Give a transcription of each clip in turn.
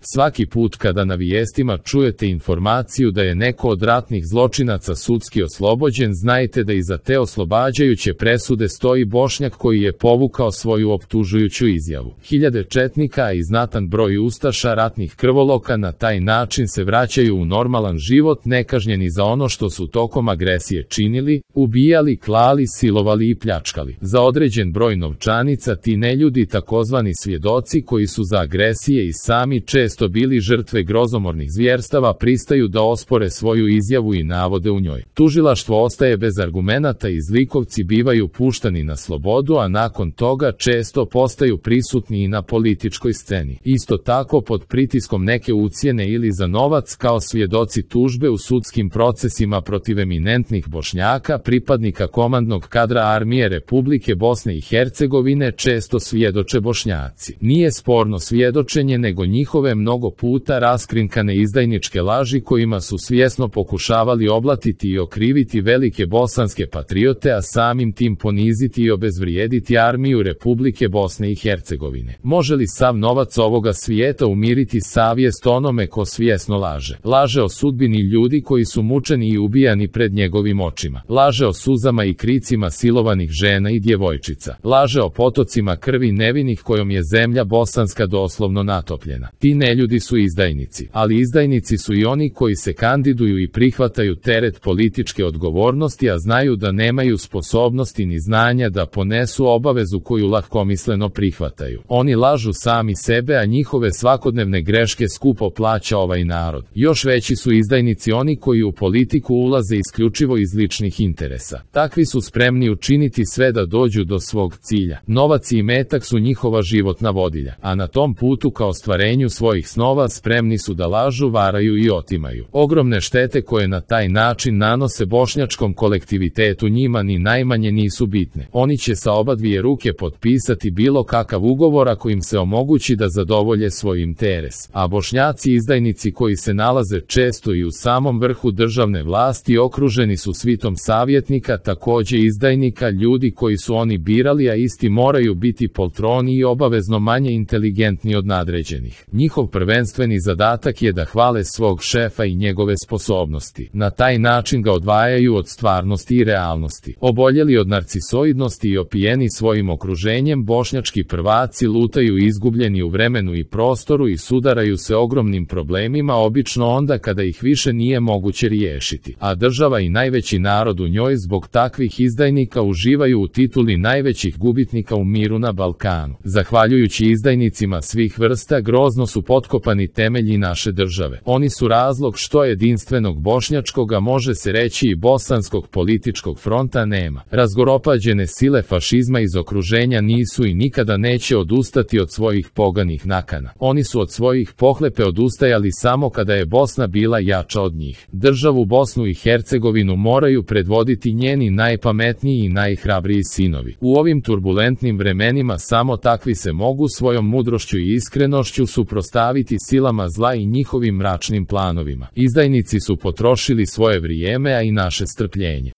Svaki put kada na vijestima čujete informaciju da je neko od ratnih zločinaca sudski oslobođen, znajte da iza te oslobađajuće presude stoji Bošnjak koji je povukao svoju optužujuću izjavu. Hiljade četnika i znatan broj ustaša ratnih krvoloka na taj način se vraćaju u normalan život nekažnjeni za ono što su tokom agresije činili, ubijali, klali, silovali i pljačkali. Za određen broj novčanica ti neljudi, takozvani svjedoci koji su za agresije i sami često bili žrtve grozomornih zvjerstava, pristaju da ospore svoju izjavu i navode u njoj. Tužilaštvo ostaje bez argumenata i zlikovci bivaju puštani na slobodu, a nakon toga često postaju prisutni i na političkoj sceni. Isto tako pod pritiskom neke ucjene ili za novac kao svjedoci tužbe u sudskim procesima protiv eminentnih Bošnjaka, pripadnika komandnog kadra armije Republike Bosne i Hercegovine, često svjedoče Bošnjaci. Nije sporno svjedočenje, nego njihove mnogo puta raskrinkane izdajničke laži kojima su svjesno pokušavali oblatiti i okriviti velike bosanske patriote, a samim tim poniziti i obezvrijediti armiju Republike Bosne i Hercegovine. Može li sav novac ovoga svijeta umiriti savjest onome ko svjesno laže? Laže o sudbini ljudi koji su mučeni i ubijani pred njegovim očima. Laže o suzama i kricima silovanih žena i djevojčica. Laže o potocima krvi nevinih kojom je zemlja bosanska doslovno natopljena. Ti neljudi su izdajnici, ali izdajnici su i oni koji se kandiduju i prihvataju teret političke odgovornosti, a znaju da nemaju sposobnosti ni znanja da ponesu obavezu koju lahkomisleno prihvataju. Oni lažu sami sebe, a njihove svakodnevne greške skupo plaća ovaj narod. Još veći su izdajnici oni koji u politiku ulaze isključivo iz ličnih interesa. Takvi su spremni učiniti sve da dođu do svog cilja. Novac i imetak su njihova životna vodilja, a na tom putu ka ostvarenju svojih snova spremni su da lažu, varaju i otimaju. Ogromne štete koje na taj način nanose bošnjačkom kolektivitetu njima ni najmanje nisu bitne. Oni će sa obadvije ruke potpisati bilo kakav ugovor ako im se omogući da zadovolje svoj interes. A Bošnjaci izdajnici koji se nalaze često i u samom vrhu državne vlasti okruženi su svitom savjetnika, također izdajnika, ljudi koji su oni birali, a isti moraju biti poltroni i obavezno manje inteligentni od nadređenih. Njihov prvenstveni zadatak je da hvale svog šefa i njegove sposobnosti. Na taj način ga odvajaju od stvarnosti i realnosti. Oboljeli od narcisoidnosti i opijeni svojim okruženjem, bošnjački prvaci lutaju izgubljeni u vremenu i prostoru i sudaraju se ogromnim problemima, obično onda kada ih više nije moguće riješiti. A država i najveći narod u njoj zbog takvih izdajnika uživaju u tituli najvećih gubitnika u miru na Balkanu. Zahvaljujući izdajnicima svih vrsta grozno su potkopani temelji naše države. Oni su razlog što jedinstvenog bošnjačkoga, može se reći i bosanskog političkog fronta nema. Razgoropađene sile fašizma iz okruženja nisu i nikada neće odustati od svojih poganih nakana. Oni su od svojih pohlepe odustajali samo kada je Bosna bila jača od njih. Državu Bosnu i Hercegovinu moraju predvoditi njeni najpametniji i najhrabriji sinovi. U ovim turbulentnim vremenima samo takvi se mogu svojom mudrošću i iskrenošću suprotstaviti silama zla i njihovim mračnim planovima. Izdajnici su potrošili svoje vrijeme, a i naše strpljenje.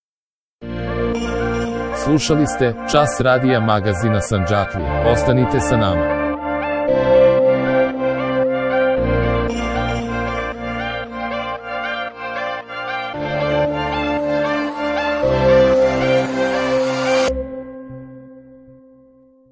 Slušali ste Čas radija magazina Sandžaklija. Ostanite sa nama.